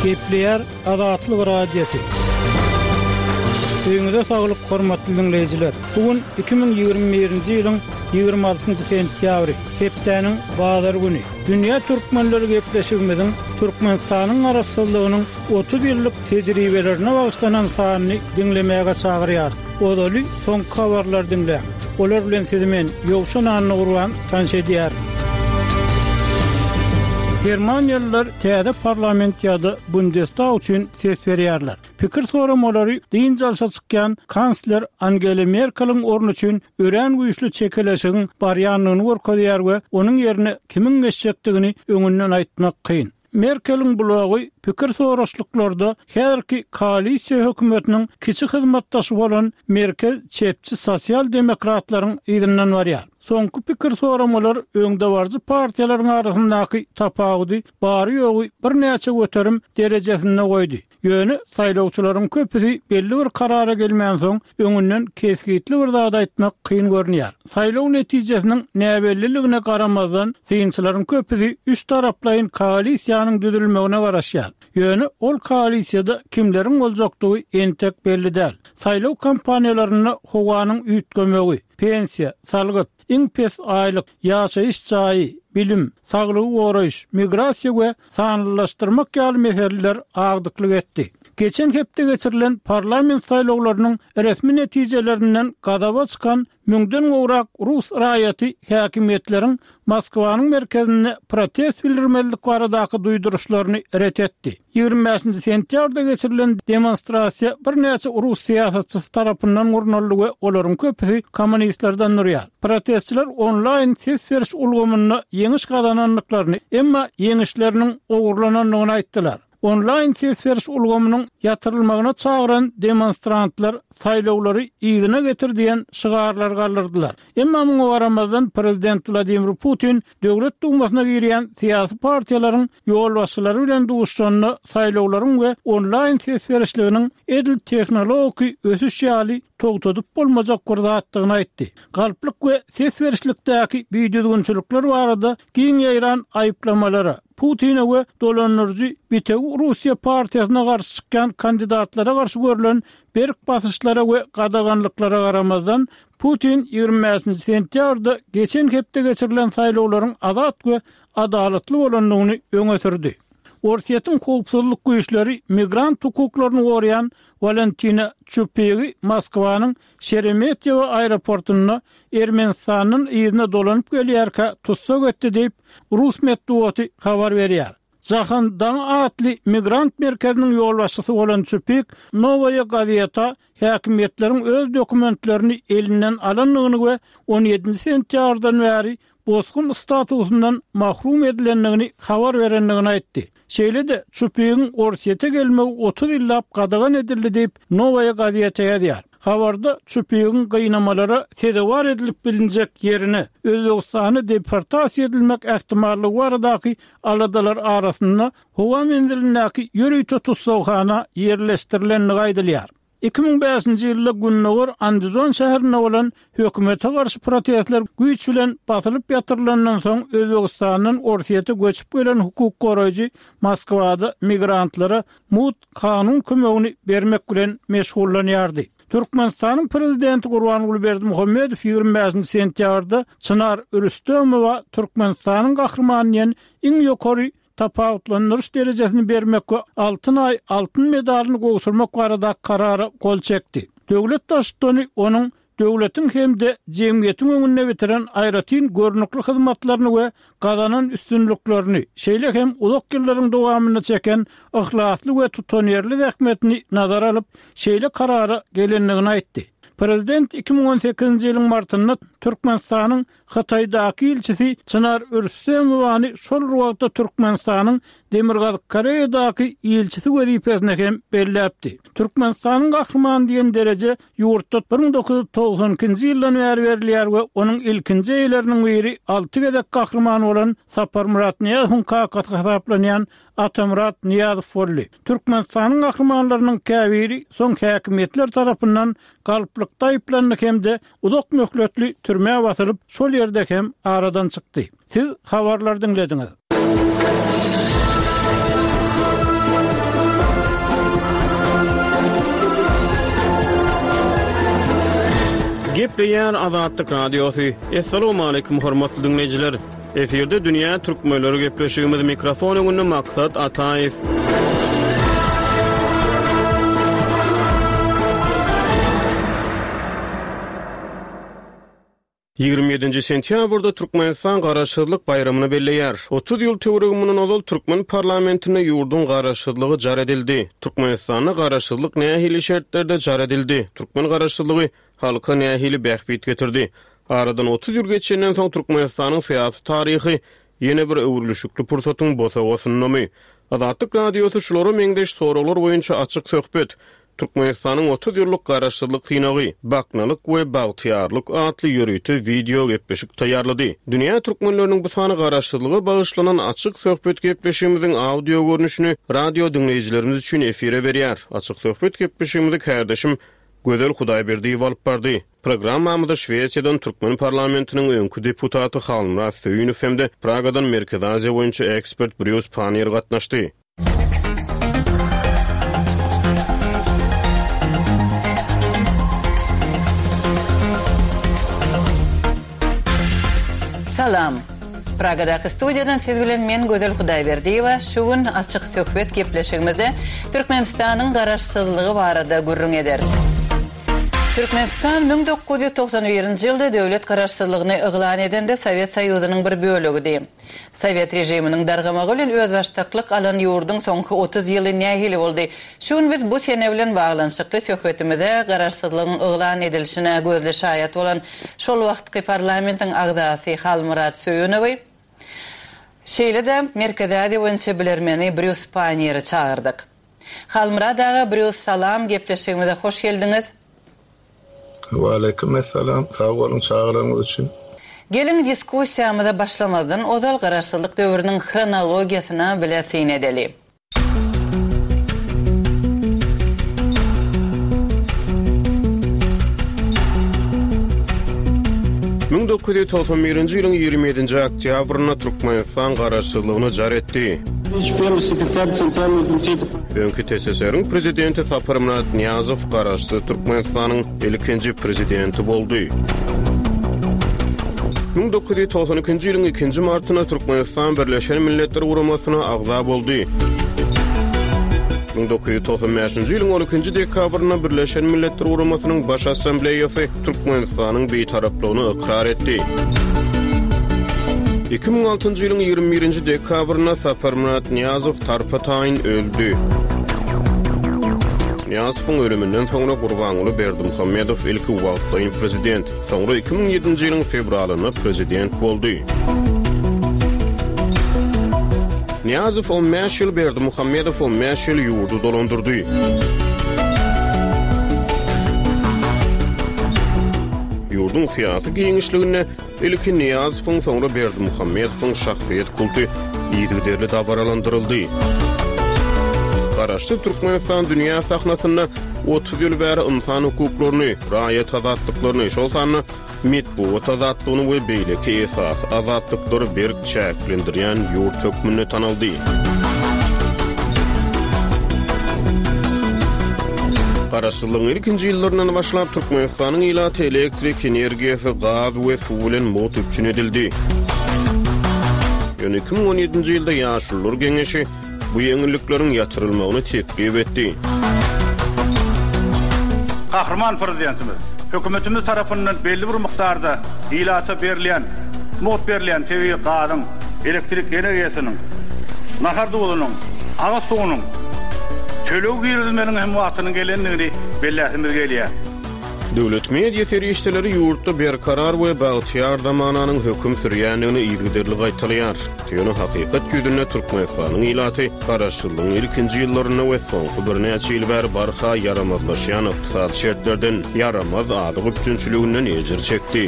Gepleýär Azatlyk Radiosy. Öýüňize saglyk, hormatly diňleýjiler! Bu gün 2021-nji ýylyň 26-njy sentýabry, hepdäniň bazar güni. Dünýä türkmenleri gepleşigimiziň Türkmenistanyň Garaşsyzlygynyň 30 ýyllyk tejribelerine bagyşlanan sanyny diňlemäge çagyrýarys. Ozaly soňky habarlary diňläň. Olar bilen sizi men, Ýowşan Annagurban, tanyş edýärin. Germaniýalylar täze parlament ýa-da Bundestag üçin ses berýärler. Pikir soramalary dynç alşa çykýan kansler Angela Merkeliň orny üçin örän güýçli çekeleşigiň barýandygyny görkezýär we onuň ýerine kimiň geçjekdigini öňünden aýtmak kyn. Merkeliň blogy pikir soraşlyklarda häzirki koalisiýa hökümetiniň kiçi hyzmatdaşy bolan merkez çepçi sosial-demokratlaryň yzyndan barýar. Soňky pikir soramalar öňdebaryjy partiýalaryň arasyndaky tapawudy bary-ýogy birnäçe göterim derejesinde goýdy. Ýöne saýlawçylaryň köpüsi belli bir karara gelmänsoň, öňünden kesgitli bir zat aýtmak kyn görünýär. Saýlaw netijesiniň näbelliligine garamazdan, synçylaryň köpüsi üç taraplaýyn koalisiýanyň düzülmegine garaşýar. Ýöne ol koalisiýada kimleriň boljakdygy entek belli däl. Saýlaw kampaniýalarynda howanyň üýtgemegi, pensiýa, salgyt, iň pes aýlyk, ýaşaýyş jaýy, bilim, saglygy goraýyş, migrasiýa we sanlylaşdyrmak ýaly meseleler agdyklyk etdi. Geçen hepde geçirilen parlament saýlawlarynyň resmi netijelerinden gazaba çykan müňden gowrak rus raýaty häkimiýetleriň Moskwanyň merkezinde protest bildirmezlik baradaky duýduryşlaryny ret etdi. 25-nji sentýabrda geçirilen demonstrasiýa birnäçe rus syýasatçysy tarapyndan gurnaldy we olaryň köpüsi kommunistlerden durýar. Protestçiler onlaýn ses beriş ulgamynda ýeňiş gazanandyklaryny, emma ýeňişleriniň ogurlanandygyny aýtdylar. Onlaýn ses beriş ulgamynyň ýatyrylmagyna çagyran demonstrantlar saýlawlary yzyna getir diýen şygarlary galdyrdylar. Emma muňa garamazdan prezident Wladimir Putin Döwlet Dumasyna girýän syýasy partiýalaryň ýolbaşçylary bilen duşuşanda saýlawlaryň we onlaýn ses berişliginiň edil tehnologiki ösüş ýaly togtadyp bolmajak bir zatdygyny aýtdy. Galplyk we ses berişlikdäki bidüzgünçilikler barada giň ýaýran aýyplamalara, Putine we dolandyryjy Bitewi Russiýa partiýasyna garşy çykýan kandidatlara garşy görlen berk basyşlara we gadaganlyklara garamazdan, Putin 25-nji sentýabrda geçen hepde geçirilen saýlawlaryň azat we adalatly bolandygyny öňe sürdi. Orsýetiň howpsuzlyk güýçleri migrant hukuklaryny goraýan Walentina Çupigi Moskwanyň Şeremetýewo aeroportynda Ermenistandan yzyna dolanyp gelýärkä tussag etdi diýip, rus metbugaty habar berýär. Jahan Daňy atly migrant merkeziniň ýolbaşçysy bolan Çupik Nowaýa Gazeta häkimiýetleriň öz dokumentlerini elinden alandygyny we on ýedinji sentýabrdan bäri bosgun statusyndan mahrum edilendigini habar berendigini aýtdy. Şeýle-de, Çupigiň Orsýete gelmegi 30 ýyllap gadagan edildi diýip, Nowaýa gazeta ýazýar. Habarda Çupigiň gynamalara sezewar edilip bilinjek ýerine, Özbegistana deportasiýa edilmek ähtimallygy baradaky aladalar arasynda howa menzilindäki ýörite tussaghana ýerleşdirilendigi aýdylýar. 2005-nji ýylda gündogar Andijon şäherinde bolan hökümete garşy protestler güýç bilen basylyp ýatyrylandan soň Özbegistandan Orsýete göçüp gelen hukuk goraýjy Moskwada migrantlara mugt kanun kömegini bermek bilen meşgullanýardy. Türkmenistanyň Prezidenti Gurbanguly Berdimuhamedow 25-nji sentýabrda Çynar Rüstemowa Türkmenistanyň Gahrymany diýen iň ýokary tapawutlandyryş derejesini bermek we Altyn Aý altyn medalyny gowşurmak barada Karara gol çekdi. Döwlet Baştutany onuň döwletiň hem-de jemgyýetiň öňünde bitiren aýratyn görnükli hyzmatlaryny we gazanan üstünliklerini, şeýle hem uzak ýyllaryň dowamynda çeken yhlasly we tutanýerli zähmetini nazara alyp, şeýle karara gelendigini aýtdy. Prezident 2018-nji ýylyň martynda Türkmenistanyň Hytaýdaky ilçisi Çynar Rüstemowany şol bir wagtda Türkmenistanyň Demirgazyk Koreýadaky ilçisi wezipesine hem belläpdi. Türkmenistanyň Gahrymany diýen dereje ýurtda 1992-nji ýyldan bäri berilýär we onuň ilkinji eýeleriniň biri alty gezek Gahryman bolan Saparmyrat Nyýazowyň kakasy hasaplanýan Atamyrat Nyýazow boldy. Türkmenistanyň gahrymanlarynyň käbiri soň häkimiýetler tarapyndan galplykda aýyplandy hem-de uzak möhletli türmä basylyp, şol ýerde hem aradan çykdy. Siz habarlary diňlediňiz. Gepleýär Azatlyk Radiosy. Assalamualaikum hormatly diňleýjiler. Efirde dünýä türkmenleri gepleşigimiz mikrofon öňünde Maksat Ataýew. 27-nji sentýabrda Türkmenistan Garaşsyzlyk baýramyny belleýär. 30 ýyl töweregi mundan ozal türkmen parlamentinde ýurduň garaşsyzlygy jar edildi. Türkmenistanda garaşsyzlyk nähili şertlerde jar edildi? Türkmen garaşsyzlygy halka nähili bähbit getirdi? Aradan 30 ýyl geçenden soň Türkmenistanyň syýasy taryhy ýene bir öwrülişikli pursatyň bosagasyndamy? Azatlyk Radiosy şulara meňzeş soraglar boýunça açyk söhbet, Türkmenistanyň 30 ýyllyk Garaşsyzlyk synagy, baknalyk we bagtyýarlyk atly ýörite wideo gepleşik taýýarlady. Dünýä türkmenleriniň bu sany Garaşsyzlyga bagyşlanan açyk söhbet gepleşigimiziň audio görnüşini radio diňleýjilerimiz üçin efire berýär. Açyk söhbet gepleşigimizi kärdeşim Gözel Hudaýberdiýewa alyp bardy. Programmamyza Şwesiýadan türkmen parlamentiniň öňki deputaty Halmyrat Söýünow hem-de Pragadan Merkezi Aziýa boýunça ekspert Brýus Panniýer gatnaşdy. Salam! Pragadaky studiýadan siz bilen men Gözel Hudaýberdiýewa şu gün Açyk söhbet gepleşigimizde Türkmenistanyň Garaşsyzlygy barada gürrüň ederis. Türkmenistan 1991-nji ýylda döwlet Garaşsyzlygyny yglan edende Sowet Soýuzynyň bir bölegidi. Sowet režiminiň dargamagy bilen özbaşdaklyk alan ýurduň soňky 30 ýyly nähili boldy? Şu gün biz bu sene bilen baglanyşykly söhbetimize Garaşsyzlygyň yglan edilişine gözli şaýat bolan şol wagtky parlamentiň agzasy Halmyrat Söýünowy, şeýle-de Merkezi Aziýa boýunça bilermeni Brýus Paýnieri çagyrdyk. Halmyrat aga, Brýus salam, gepleşigimize hoş geldiňiz. Waleýkim essalam, sag boluň çagyranyňyz üçin. Geliň diskussiýamyza başlamazdan ozal Garaşsyzlyk döwrüniň hronologiýasyna bile syn edeli. 1991-nji ýylyň 27-nji oktýabrynda Türkmenistan garaşsyzlygyny jar etdi. Öňki TSSR-iň prezidenti Saparmyrat Nyýazow garaşsyz Türkmenistanyň ilkinji prezidenti boldy. 1992-nji ýylyň ikinji martynda Türkmenistan Birleşen Milletler Guramasyna agza boldy. 1995-nji ýylyň 12-nji dekabrynda Birleşen Milletler Guramasynyň Baş Assambleýasy Türkmenistanyň Bitaraplygyny ykrar etdi. 2006-njy ýylyň 21-nji dekabrynda Saparmyrat Nyýazow tarpa-taýyn öldi. Nyýazowyň ölüminden soňra Gurbanguly Berdimuhamedow ilki wagtlaýyn prezident, soňra 2007-nji ýylyň fewralynda prezident boldy. Nyýazow on bäş ýyl, Berdimuhamedow on bäş ýyl ýurdy dolandyrdy. Ýurduň syýasy giňişliginde Ilki Nyýazowyň, soňra Berdimuhamedowyň şahsyýet kulty yzygiderli dabaralandyryldy. Garaşsyz Türkmenistan dünýä sahnasynda 30 ýyl bäri ynsan hukuklaryny, raýat azatlyklaryny, şol sanda metbugat azatlygyny we beýleki esasy azatlyklary berk çäklendirýän ýurt hökmünde tanaldy. Garaşsyzlygyň ilkinji ýyllaryndan başlap, Türkmenistanyň ilaty elektrik energiýasy, gaz we suw bilen mugt üpjün edildi. Ýöne 2017-nji ýylda Ýaşulular geňeşi bu ýeňillikleriň ýatyrylmagyny teklip etdi. Gahryman Prezidentimiz, Hökümetimiz tarapyndan belli bir mukdarda ilata berilýän, mugt berilýän tebigy gazyň, elektrik energiýasynyň, nahar duzunyň, agyz suwunyň töleg girizilmeginiň hem wagtynyň gelendigini belläsimiz gelýär. Döwlet media serişdeleri ýurtda berkarar we bagtyýar zamananyň höküm sürýändigini yzygiderli gaýtalaýar. Ýöne hakykat ýüzünde Türkmenistanyň ilaty garaşsyzlygyň ilkinji ýyllarynda we soňky birnäçe ýyl bäri barha ýaramazlaşýan ykdysady şertlerden, ýaramaz azyk üpjünçiliginden ejir çekdi.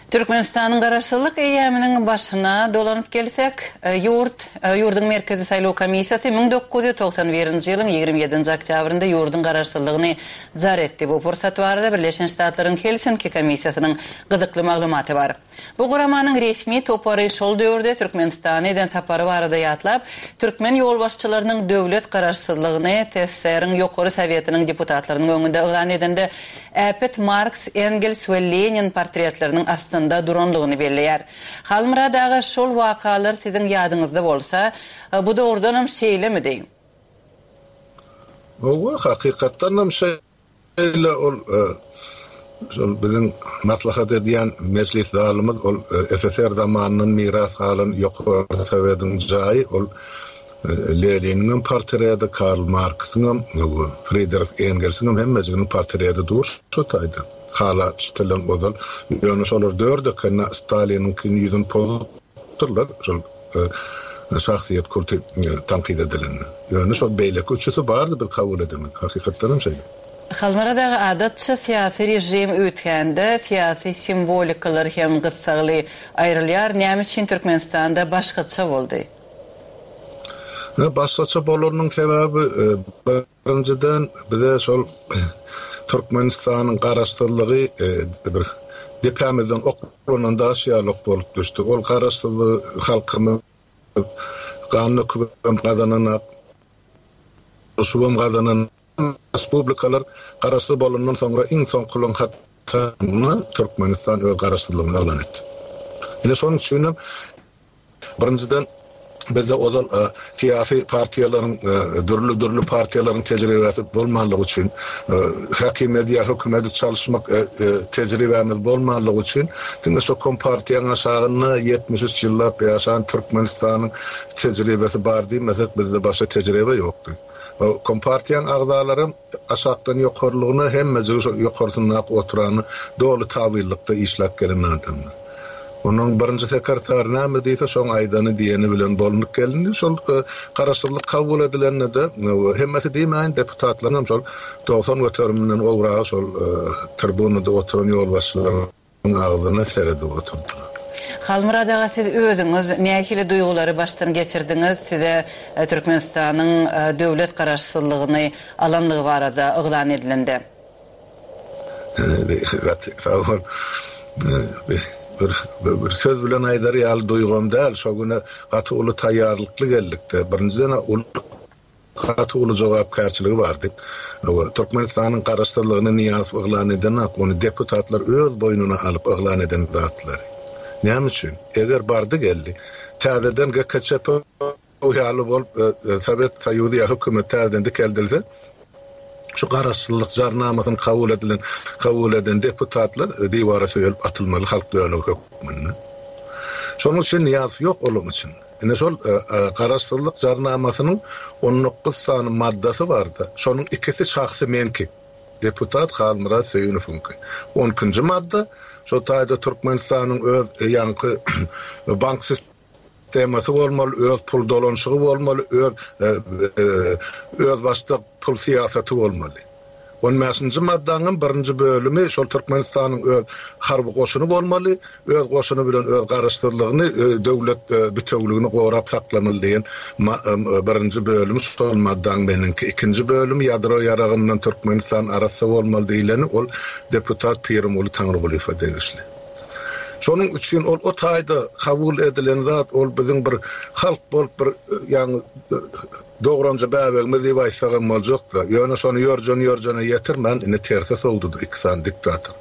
Türkmenistanyň Garaşsyzlyk eýýamynyň başyna dolanyp gelsek, ýurt, ýurduň Merkezi saýlaw komissiýasy 1991-nji ýylyň 27-nji oktýabrynda ýurduň garaşsyzlygyny jar etdi. Bu pursat barada Birleşen Ştatlaryň Helsinki komissiýasynyň gyzykly maglumaty bar. Bu guramanyň resmi topary şol döwürde Türkmenistana eden sapary barada ýatlap, türkmen ýolbaşçylarynyň döwlet garaşsyzlygyny TSSR-iň Ýokary Sowetiniň deputatlarynyň öňünde yglan edende äpet Marks, Engels we Lenin portretleriniň astynda duranlygyny belleýär. Halmyrat aga, şol wakalar siziň ýadyňyzda bolsa, bu dogrudanam şeýlemidi? Hawa, hakykatdanam şeýle, ol şol biziň maslahat edýän mejlis zalymyz ol SSR zamanyndan miras galan Ýokary Sowetiň jaýy, ol Leniniňem portreti, Karl Marksyňam, Fridrih Engelsiňem hemmejiginiň portreti dur şo taýda. Hala çitilen ozal. Ýöne şolar dört ekende Staliniňkini ýüzüni pozupdyrlar, şol şahsyýet kulty tankyt edilende. Ýöne şol beýleki üçüsi bardy biz kabul edemizde. Hakykatdanam şeýle. Halmyrat aga, adatça syýasy režim üýtgände syýasy simwolikalar hem gyssagly aýrylýar. Näme üçin Türkmenistanda başgaça boldy? Başgaça bolanynyň sebäbi, birinjiden, bize şol Türkmenistanyň garaşsyzlygy bir depämizden oklanan daş ýaly bolup düşdi. Ol garaşsyzlygy halkymyz gan dökübem gazanan, urşubam gazanan. Respublikalar garaşsyz bolandan soňra iň soňkularyň hatarynda Türkmenistan öz garaşsyzlygyny yglan etdi. Ine şonuň üçinem Birinjiden, bizde ozal syýasy partiýalaryň, dürli-dürli partiýalaryň tejribesi bolmanlygy üçin, häkimiýeti ýa hökümeti çalyşmak tejribämiz bolmanlygy üçin, diňe şo kompartiýaň aşagynda 73 ýyllap ýaşan Türkmenistanyň tejribesi bar diýmesek, bizde başga tejribe ýokdy. Kompartiýaň agzalaram aşakdan ýokarlygyna hemmejigi şol ýokarsyndaky oturana doly tabynlykda işläp gelen adamlar. Onuň birinji sekretary näme diýse şoň aýdany diýeni bilen bolnup gelindi. Şol garaşsyzlyk kabul edilende-de hemmesi diýmäýin deputatlaryňam şol 90 göteriminden gowragy şol tribunada oturan ýolbaşçylaryň agzyna seredip oturdylar. Halmyrat aga siz özüňiz nähili duýgulary başdan geçirdiňiz size Türkmenistanyň döwlet garaşsyzlygyny alanlygy barada yglan edilende? Gaty sag bol. Bir bir söz bilen aýdar ýaly duýgam däl. Şo güne gaty uly taýýarlykly geldik-de. Birinjiden uly gaty uly jogapkärçiligi bardy. Türkmenistanyň garaşsyzlygyny Nyýazow yglan edenok, ony deputatlar öz boýnuna alyp yglan eden zatlary. Näme üçin? Eger bardy-geldi, täzeden GKÇP ýaly bolup Sowet Soýuzy ýa hökümet täzeden dikeldilse, şu garaşsyzlyk jarnamasyny kabul edilen kabul eden deputatlar diwara söýelip atylmaly halk dönügi hökmünde. Şonuň üçin Nyýazow ýok olaryň içinde. Ine şol garaşsyzlyk jarnamasynyň 19 sany maddasy bardy. Şonuň ikisi şahsy meňki. Deputat Halmyrat Söýünowyňky. On ikinji madda, şo taýda Türkmenistanyň öz ýaňky bank sistemasy bolmaly, öz pul dolanyşygy bolmaly, öz özbaşdak pul syýasaty bolmaly. On bäşinji maddaňam birinji bölümi şol Türkmenistanyň öz harby goşuny bolmaly, öz goşuny bilen öz garaşsyzlygyny, döwlet bitewligini gorap saklamaly diýen birinji bölümi şol maddaň meniňki. Ikinji bölümi ýadro ýaragyndan Türkmenistan arassa bolmaly diýleni ol deputat Pirimguly Taňrygulyýewe degişli. Şonuň üçin ol o taýda kabul edilen zat ol biziň bir halk bolup bir ýaňy dogranja bäbegimiz diýip aýtsagam boljakda. Ýöne şony ýörjen-ýörjene ýetirmän indi terse sowdudy iki sany diktator.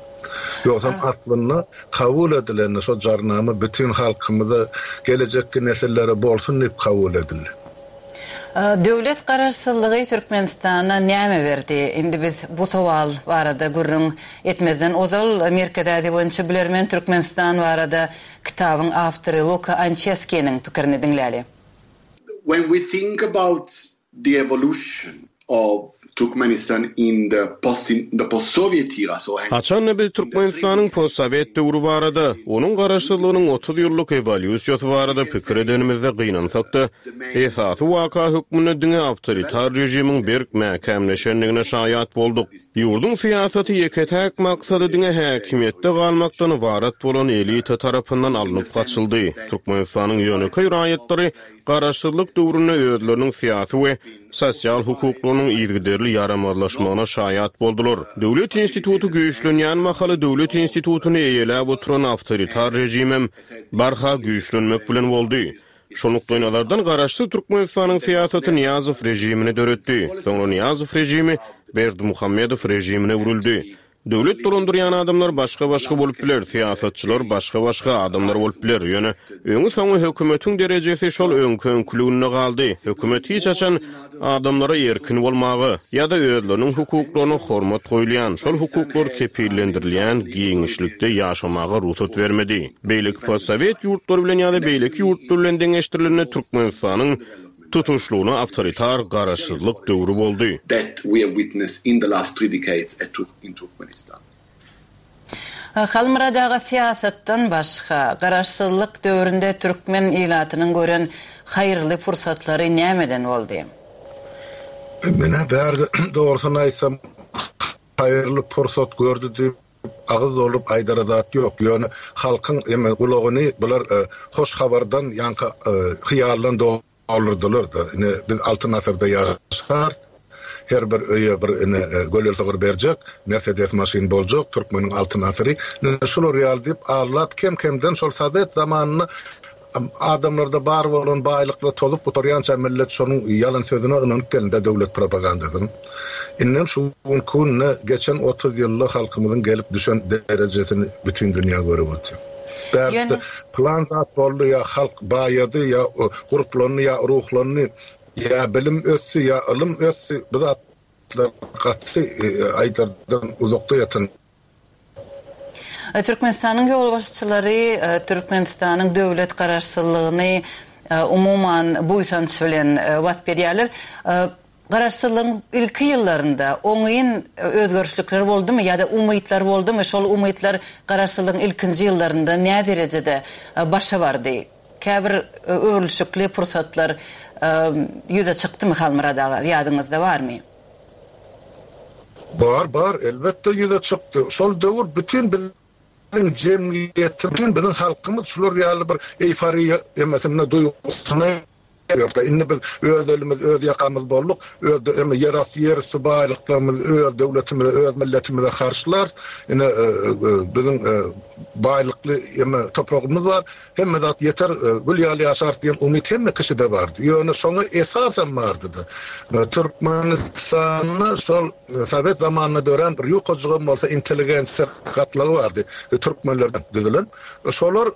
Ýogsam aslynda kabul edilende şo jarnama bütin halkymyza gelejekki nesillere bolsun diýip kabul edildi. Döwlet garaşsyzlygy Türkmenistana näme berdi? Indi biz bu sowal barada gürrüň etmezden ozal, Merkezi Aziýa boýunça bilermen Türkmenistan barada kitabyň awtory Luka Ançeskiniň pikirini diňläli. When we think about the evolution of. Turkmenistan in the post in the post Soviet era so Haçan-da biz Türkmenistanyň postsowet döwri barada, onuň garaşsyzlygynyň 30 ýyllyk ewolýusiýasy barada pikir edenimizde gynansak-da, esasy waka hökmünde diňe awtoritar režimiň berk mäkämleşendigine şaýat bolduk. Ýurduň syýasaty ýeke-täk maksady diňe häkimiýetde galmakdan ybarat bolan elita tarapyndan alnyp gaçyldy. Türkmenistanyň ýönekeý raýatlary Garaşsyzlyk döwründe özleriniň syýasy we sosial hukuklarynyň yzygiderli ýaramazlaşmagyna şaýat boldular. Döwlet instituty güýçlenýän mahaly döwlet institutyny eýeläp oturan awtoritar režimem barha güýçlenmek bilen boldy. Şol nukdaýnazardan Garaşsyz Türkmenistanyň syýasaty Nyýazow režimini döretdi. Soňra Nyýazow režimi Berdimuhamedow režimine öwrüldi. Döwlet dolandyrýan adamlar başga-başga bolup biler, syýasatçylar başga-başga adamlar bolup biler, ýöne öňi-soňy hökümetiň derejesi şol öňki-öňküliginde galdy. Hökümet hiç haçan adamlara erkin bolmaga ýa-da özleriniň hukuklaryna hormat goýulýan, şol hukuklar kepillendirilýän giňişlikde ýaşamaga rugsat bermedi. Beýleki postsowet ýurtlary bilen ýa-da beýleki ýurtlar bilen deňeşdirilende Türkmenistanyň Tutuşlygyna awtoritar garaşsyzlyk döwri boldy. That we have witnessed in the last three decades at in Turkmenistan. Halmyrat aga syýasatdan başga, garaşsyzlyk döwründe türkmen ilatynyň gören haýyrly pursatlary nämeden boldy? Men-ä bärde dogrusyny aýtsam haýyrly pursat gördi diýip agyz dolduryp aýdara zat ýok. Ýöne halkyň eme gulagyny bular hoş habardan ýaňky hyýaldan doldurdylar-da. Ine biz altyn asyrda ýaşarys. Her bir öýe bir ine gölel sygyr berjek, Mersedes maşyn boljak, türkmeniň altyn asyry. Ine şular ýaly diýip aldap kem-kemden şol sowet zamanynda Adamlarda bar bolan baýlyklar tozup gutarýança millet şonuň ýalan sözüne ynanyp gelindi döwlet propagandasynyň. Indem şu günki günde geçen 30 ýylda halkymyzyň gelip düşen derejesini bütin dünýä görüp otyr. Bärde pylan zat boldy ýa halk baýady ýa gurplandy ýa ruhlandy ýa bilim ösdi ýa ylym ösdi bu zatlar gaty aýdardan uzakda ýatan Türkmenistanyň ýolbaşçylary Türkmenistanyň döwlet Garaşsyzlygyny umuman buýsanç bilen wasp edýärler. Garaşsyzlygyň ilki ýyllarynda oňyn özgerişlikler boldumy ýa-da umytlar boldumy? Şol umytlar Garaşsyzlygyň ilkinji ýyllarynda näderejede başa bardy? Käbir öwrülişikli pursatlar ýüze çykdymy Halmyrat aga, ýadyňyzda barmy? Bar, bar, elbetde ýüze çykdy. Şol döwür bütin biziň jemgyýetimiz, bütin biziň halkymyz şular ýaly bir eýforiýa emesinde, duýgusynda ýördi. Indi biz öz elimiz, öz ýakamyz bolduk, öz eme ýerasty, ýerüsti baýlyklarymyzy öz döwletimize, öz milletimize harçlarys. Ine, biziň baýlykly eme topragymyz bar. Hemme zat ýeter, gül ýaly ýaşarys diýen umyt hemme kişide bardy. Ýöne şoňa esasam bardy-da. Türkmenistanda şol sowet zamanynda dörän bir ýukajygam bolsa intelligensiýa gatlagy bardy, türkmenlerden düzülen. Şolar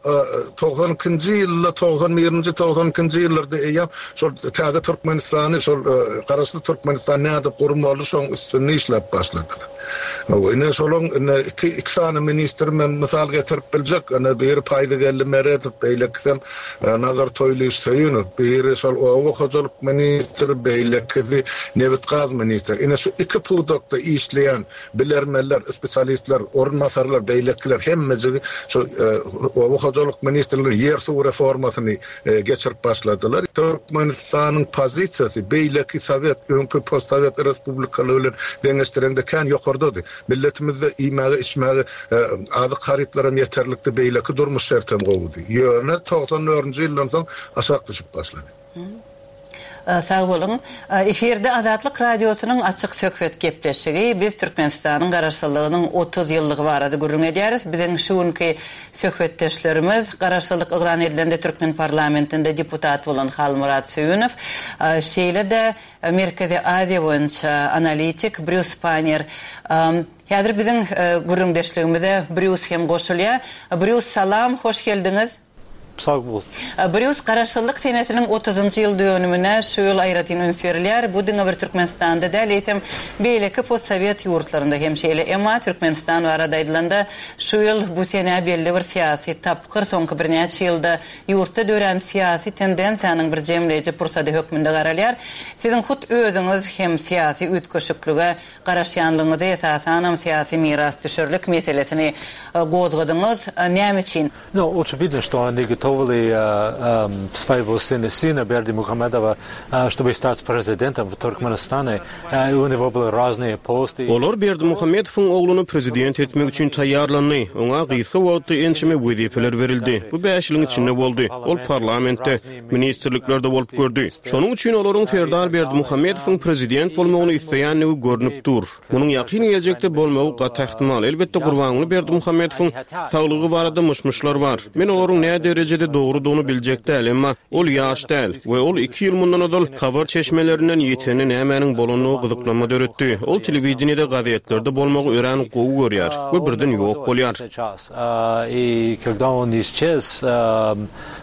92-nji ýylda, 91-nji, 92-nji ýyllarda eýýäm şol täze Türkmenistany, şol Garaşsyz Türkmenistany nädip gurmaly, şoň üstünde işläp başladylar. Hawa, ine şolaň ine iki iki sany ministri men mysal getirip biljek. Ine biri Paýzygeldi Meredow, beýlekisem Nazar Toýlyýewiç Söýünow. Biri şol oba hojalyk ministri, beýlekisi nebit-gaz ministri. Ine şu iki pudakda işleýän bilermenler, spesialistler, orunbasarlar, beýlekiler hemmejigi şu oba hojalyk ministrligi ýer-suw reformasyny geçirip başladylar. Türkmenistanyň pozisiýasy beýleki sowet, öňki postsowet respublikalary bilen deňeşdireňde kän ýokardady. Milletimizde iýmäge, içmäge azyk harytlaram ýeterlikdi, beýleki durmuş şertem gowudy. Ýöne 94-nji ýyldan soň aşak düşüp başlady. Sag boluň. Efirde Azatlyk Radiosynyň Açyk söhbet gepleşigi. Biz Türkmenistanyň Garaşsyzlygynyň 30 ýyllygy barada gürrüň edýäris. Biziň şu günki söhbetdeşlerimiz Garaşsyzlyk yglan edilende türkmen parlamentinde deputat bolan Halmyrat Söýünow, şeýle-de Merkezi Aziýa boýunça analitik Brýus Paner. Häzir biziň gürrüňdeşligimize Brýus hem goşulýar. Brýus, salam, hoş geldiňiz. Sag bol. Brýus, Garaşsyzlyk senesiniň otuzynjy ýyl dönümine şu ýyl aýratyn üns berilýär. Bu diňe bir Türkmenistanda däl, eýsem, beýleki postsowet ýurtlarynda hem şeýle. Emma Türkmenistan barada aýdylanda, şu ýyl bu senä belli bir syýasy tapgyr, soňky birnäçe ýylda ýurtda dörän syýasy tendensiýanyň bir jemleýji pursady hökmünde garalýar. Siziň hut özüňiz hem syýasy üýtgeşiklige garaşýanlygyňyzy, esasanam syýasy mirasdüşerlik meselesini gozgadyňyz. Näme üçin? No, očividno što oni gotovili svojega sina, sina Berdimuhamedowa, чтобы стать президентом в Туркменистане. U него были разные посты. Olar Berdimuhamedowyň ogluny prezident etmek üçin taýýarlandy. Oňa gysga wagtda ençeme wezipeler berildi. Bu bäş ýylyň içinde boldy. Ol parlamentde, ministrliklerde bolup gördi. Şonuň üçin olaryň Serdar Berdimuhamedowyň prezident bolmagyny isleýändigi görnüp dur. Munuň ýakyn geljekde bolmagy gaty ähtimal. Elbetde, Gurbanguly Berdimuhamedowyň saglygy barada myş-myşlar bar. Men olaryň nä derejede dogrudygyny biljek däl, emma ol ýaş däl we ol iki ýyl mundan ozal habar çeşmelerinden ýitende nämäniň bolandygy gyzyklanma döretdi. Ol telewideniýede, gazetlerde bolmagy örän gowy görýär we birden ýok bolýar.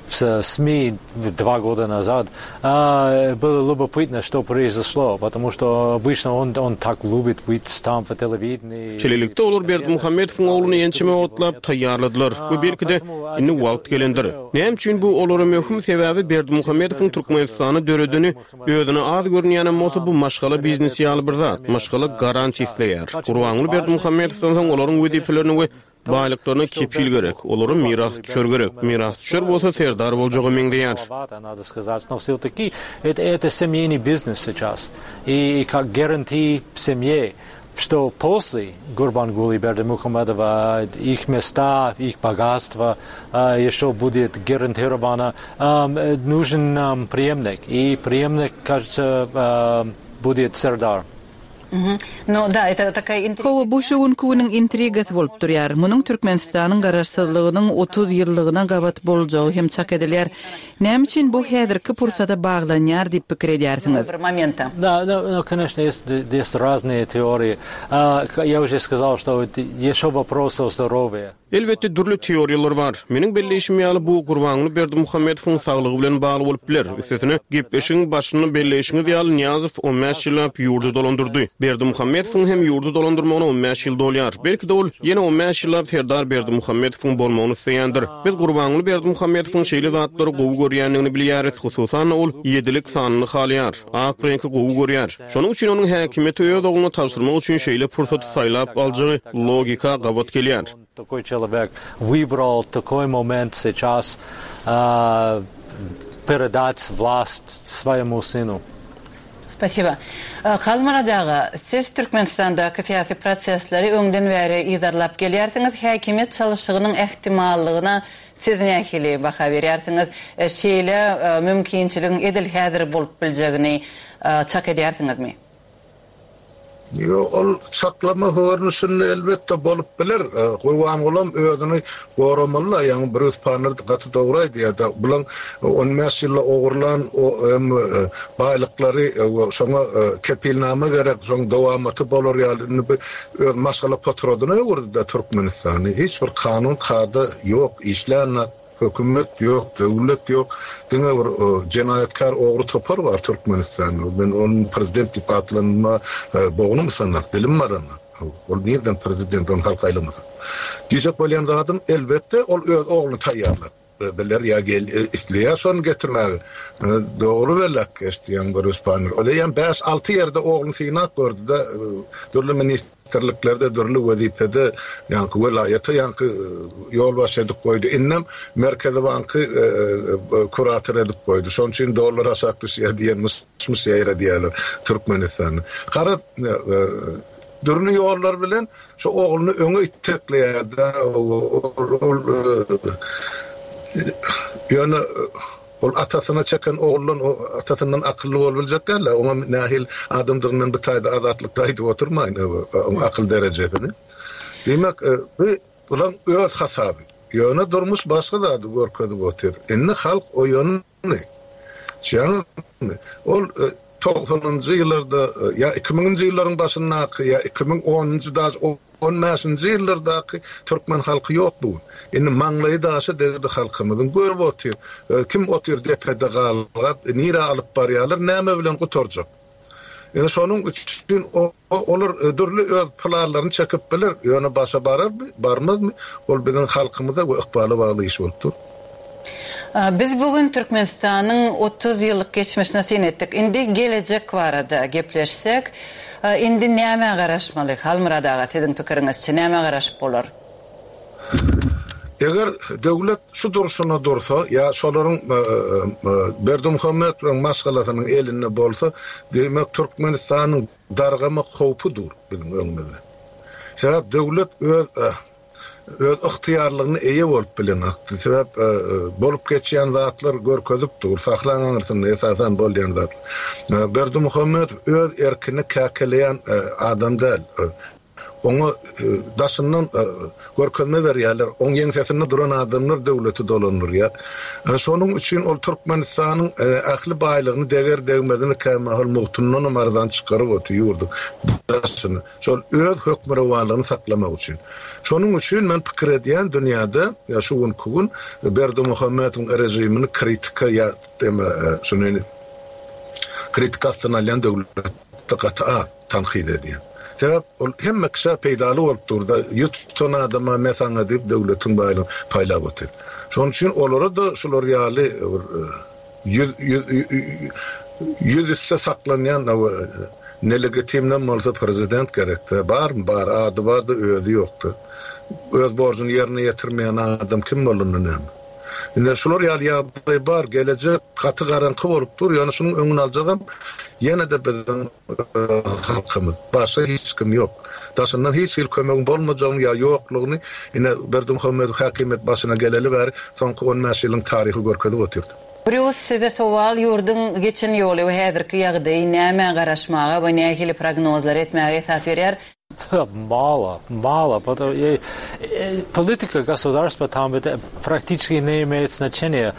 В СМИ два года назад было любопытно, что произошло, потому что обычно он, он так любит быть там в телевидении. Şeýlelikde, olar Berdimuhamedowyň ogluny ençeme wagtlap taýýarladylar we belki-de, indi wagt gelendir. Näme üçin bu olara möhüm? Sebäbi Berdimuhamedowyň Türkmenistany döredeni özüne az görünýänem bolsa, bu maşgala biznesi ýaly bir zat. Maşgala garantiýa isleýär. Gurbanguly Berdimuhamedowdan soň olaryň wezipelerini we Baýlyklaryna kepil gerek, olara mirasdüşer gerek. Mirasdüşer bolsa serdar boljaga meňzeýär. Hawa, bu şu günki günüň intrigasy bolup durýar. Munuň Türkmenistanyň Garaşsyzlygynyň 30 ýyllygyna gabat boljagy hem çak edilýär. Näme üçin bu häzirki pursata baglanýar diýip pikir edýärsiňiz? Elbetde, dürli teoriýalar bar. Meniň belleýşim ýaly, bu Gurbanguly Berdimuhamedowyň saglygy bilen bagly bolup biler. Üstesine, gepleşigiň başynda belleýşiňiz ýaly, Nyýazow on bäş ýyllap ýurdy dolandyrdy. Berdimuhamedowyň hem ýurdy dolandyrmagyna on bäş ýyl dolýar. Belki-de, ol ýene on bäş ýyllap Serdar Berdimuhamedowyň bolmagyny isleýändir. Biz Gurbanguly Berdimuhamedowyň şeýle zatlary gowy görýändigini bilýäris, hususan-da, ol ýedilik sanyny halaýar, ak reňki gowy görýär. Şonuň üçin onuň häkimiýeti öz ogluna tabşyrmak üçin şeýle pursaty saýlap aljagy logika gabat gelýär. Takoý çelowek wybral takoý moment seças peredat wlast swoýemu synu. Spasiba. Halmyrat aga, siz Türkmenistandaky syýasy prosesleri öňden bäri yzarlap gelýärsiňiz. Häkimiýet çalyşygynyň ähtimallygyna Siz nähili baha berýärsiňiz? Şeýle mümkinçiligiň edil häzir bolup biljegini çak edýärsiňizmi? Ýok, ol çaklama görnüşinde elbetde bolup biler. Gurbangulam özüni goramaly-da, ýaňy Brýus Panner gaty dogry aýdýar-da, bulaň on bäş ýylda ogurlan baýlyklary şoňa kepilnama gerek, şoň dowamaty bolar ýaly indi bu Öz maşgala potrodyna öwürdi-de Türkmenistany. Hiç bir kanun kada ýok, işlänok, hökümet ýok, döwlet ýok. Diňe bir jenaýatkär ogry topar bar Türkmenistanda. Men ony prezident diýip atlandyrma bognum ysanok, dilim baranok. Ol nirden prezident, ony halk saýlamasa. Diýjek bolýan zadym, elbetde, ol öz ogluny taýýarlap. Biler ýa gel isleýär şony getirmäge. Dogry belläp geçdi ýaňy bir Rüspanur. Ol eýýäm bäş-alty ýerde ogluny synap gördi-de, dürli ministrliklerde, dürli wezipede ýaňky welaýata ýaňky ýolbaşçy edip goýdy. Indem Merkezi banky kurator edip goýdy. Şonuň üçin dollar aşak düşýär diýen myş-myş ýaýradýarlar Türkmenistanda. Garaz, dürli ýollar bilen Şu ogluny öňe itekleýär-dä, ol ýöne ol atasyna çeken oguldan atasyndan akylly bolup biljek däl-ä, oňa nähili adamdygyny men bu taýda Azatlykda aýdyp oturmaýyn, oň akyl derejesini. Diýmek, bu bulaň öz hasaby. Ýöne durmuş başga zady görkezip otyr. Indi halk oýandy. Düşýäňizmi? Ol togsanynjy ýyllarda ýa iki müňünji ýyllaryň başyndaky ýa 2010-njy daž. On bäşinji ýyllardaky türkmen halky ýok bu gün. Indi maňlaýy daşa degdi halkymyzyň. Görüp otyr. Kim otyr depede galgap, nirä alyp barýarlar, näme bilen gutarjak. Ine şonuň üçin olar dürli öz planlaryny çekip biler, ýöne başa bararmy, barmazmy, ol biziň halkymyza we ykbala bagly iş bolup dur. Biz bu gün Türkmenistanyň 30 ýyllyk geçmişine syn etdik. Indi gelejek barada gepleşsek, indi nämä garaşmaly? Halmyrat aga, siziň pikiriňizçe, nämä garaşyp bolar? Eger döwlet şu durşuna dursa ýa şolaryň Berdimuhamedowyň maşgalasynyň elinde bolsa, diýmek Türkmenistanyň dargamak howpy dur biziň öňümizde. Sebäp döwlet öz öz ygtyýarlygyna eýe bolup bilenokdy. Sebäp bolup geçýän zatlar görkezip dur, sahraň aňyrsynda esasan bolýan zatlar. Berdimuhamedow öz erkini käkeleýän adam däl. Oňa daşyndan görkezme berýärler. Oň ýeňsesinde duran adamlar döwleti dolandyrýar. Şonuň üçin ol Türkmenistanyň ähli baýlygyny deger-degmezini kämahal mugtundanam arzan çykaryp otyr ýurduň daşyna. Şol öz hökmürowanlygyny saklamak üçin. Şonuň üçin men pikir edýän dünýäde şu günki gün Berdimuhamedowyň režimini kritika ýa şuny kritika astyna alýan döwlet gaty az. Tankyt edýän. Sebäp ol hemme kişä peýdaly bolup dur-da, ýüz tutan adama me saňa diýip döwletiň baýlygyny paýlap otyr. Şonuň üçin olara-da şular ýaly bir ýüz ýüz ýüz üste saklanýan nelegitimnem bolsa prezident gerekdä. Barmy? Bar. Ady bar-da, özi ýok-da. Öz borjuny ýerine ýetirmeýän adam kim bolanda näme? Ine şular ýaly ýagdaý bar. Gelejek gaty garaňky bolup dur. Ýöne şunuň öňüni aljagam ýene-de biziň halkymyz. Başga hiç kim ýok. Daşyndan hiç hili kömegiň bolmajagyny ýa ýoklugyny ine Berdimuhamedow häkimiýet başyna geleli bäri soňky 15 ýylyň taryhy görkezip otyrdy. Brýus, size sowal, ýurduň geçen ýoly we häzirki ýagdaýy nämä garaşmaga we nähili prognozlar etmäge esas berýär? Мало, мало. Политика государства там практически не имеет значения.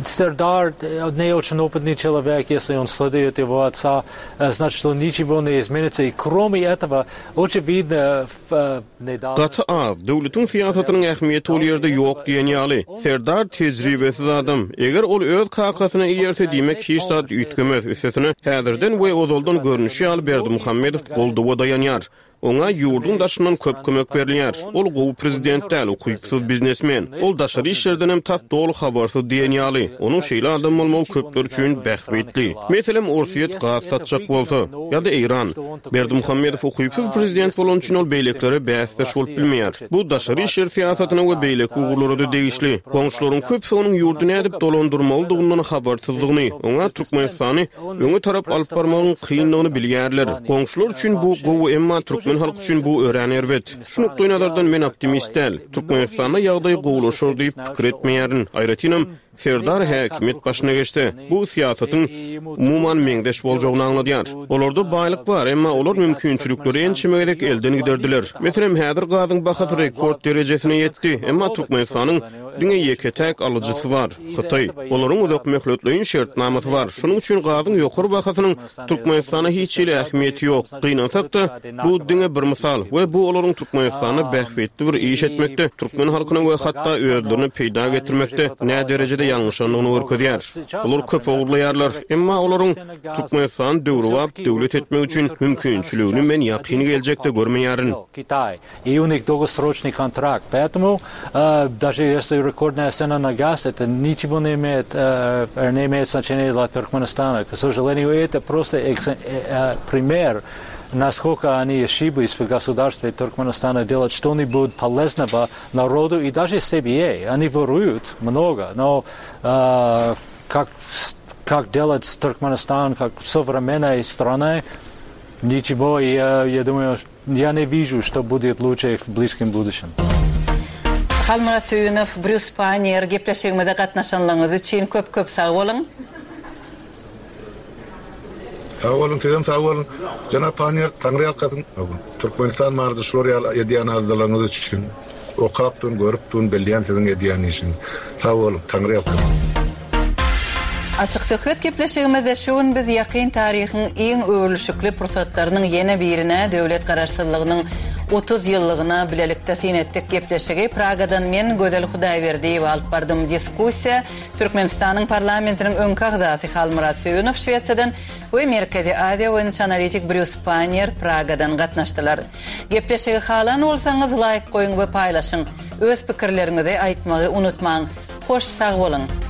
Сердар не очень опытный человек, если он следует его отца, значит, что ничего не изменится. И кроме этого, очевидно, Gaty az, döwletiň syýasatynyň ähmiýeti ol ýerde ýok diýen ýaly. Serdar tejribesiz adam. Eger ol öz kakasyna eýerse, diýmek hiç zat üýtgemez. Üstesine, häzirden we ozaldan görnüşi ýaly Berdimuhamedow goldawa daýanýar. Oňa ýurduň daşyndan köp kömek berilýär. Ol gowy prezident däl, ukypsyz biznesmen. Ol daşary işlerdenem tas doly habarsyz diýen ýaly. Onuň şeýle adam bolmagy köpler üçin bähbitli. Meselem, Orsýet gaz satjak bolsa, ýa-da Eýran. Berdimuhamedow ukypsyz prezident bolany üçin ol beýlekilere bäsdeş bolup bilmeýär. Bu daşary işler syýasatyna we beýleki ugurlara-da degişli. Goňşularyň köpüsi onuň ýurdy nädip dolandyrmalydygyndan habarsyzdygyny, oňa Türkmenistany öňe tarap alyp barmagyň kyndygyny bilýärler. Goňşular üçin bu gowy, emma türkmen halky üçin bu örän erbet. Şu nukdaýnazardan men optimist däl. Türkmenistanda ýagdaý gowulaşar diýip pikir etmeýärin. Aýratynam, Serdar häkimiýet başyna geçse, bu syýasatyň umuman meňzeş boljagyny aňladýar. Olarda baýlyk bar, emma olar mümkinçilikleri ençeme gezek elden giderdiler. Meselem, häzir gazyň bahasy rekord derejesine ýetdi, emma Türkmenistanyň diňe ýeke-täk alyjysy bar, Hytaý. Olaryň uzakmöhletleýin şertnamasy bar. Şonuň üçin gazyň ýokary bahasynyň Türkmenistana hiç hili ähmiýeti ýok. Gynansak-da, bu diňe bir mysal we bu olaryň Türkmenistanda bähbitli bir iş etmekde, türkmen halkyna we hatda özlerine peýda getirmekde näderejede ýalňyşandygyny görkezýär. Olar köp ogurlaýarlar, emma olaryň Türkmenistany döwrebap döwlet etmek üçin mümkinçiligini men ýakyn geljekde görmeýärin. И у них долгосрочный контракт. Поэтому даже если рекордная цена на газ, это ничего не имеет, не имеет значения для Туркменистана. К сожалению, это просто пример, насколько они ошиблись в государстве Туркменистана делать что-нибудь полезного народу и даже себе. Они воруют много, но э, как, как делать Туркменистан как современной страной, ничего, я, я думаю, Я не вижу, что будет лучше в близком будущем. Halmyrat Söýünow, Brýus Paýnier, gepleşigimize gatnaşanlygyňyz üçin köp köp sag boluň. Sag boluň sizem sag boluň. Jenap Paýnier, Taňryýalkasyn. Türkmenistan barada şular ýaly edýän aladalaryňyz üçin. Okap dun, görüp dun, bilýän siziň edýän işiňizi. Sag boluň, Taňryýalkasyn. Açyk söhbet gepleşigimizde şu gün biz ýakyn taryhyň iň öwrülişikli pursatlarynyň ýene birine, döwlet Garaşsyzlygynyň 30 ýyllygyna bilelikde syn etdik. Gepleşigi Pragadan men, Gözel Hudaýberdiýewa alyp bardym. Diskussiýa Türkmenistanyň parlamentiniň öňki agzasy Halmyrat Söýünow Şwesiýadan we Merkezi Aziýa boýunça analitik Brýus Panniýer Pragadan gatnaşdylar. Gepleşigi halan bolsaňyz laýk goýuň we paýlaşyň. Öz pikirleriňizi aýtmagy unutmaň. Hoş sag boluň!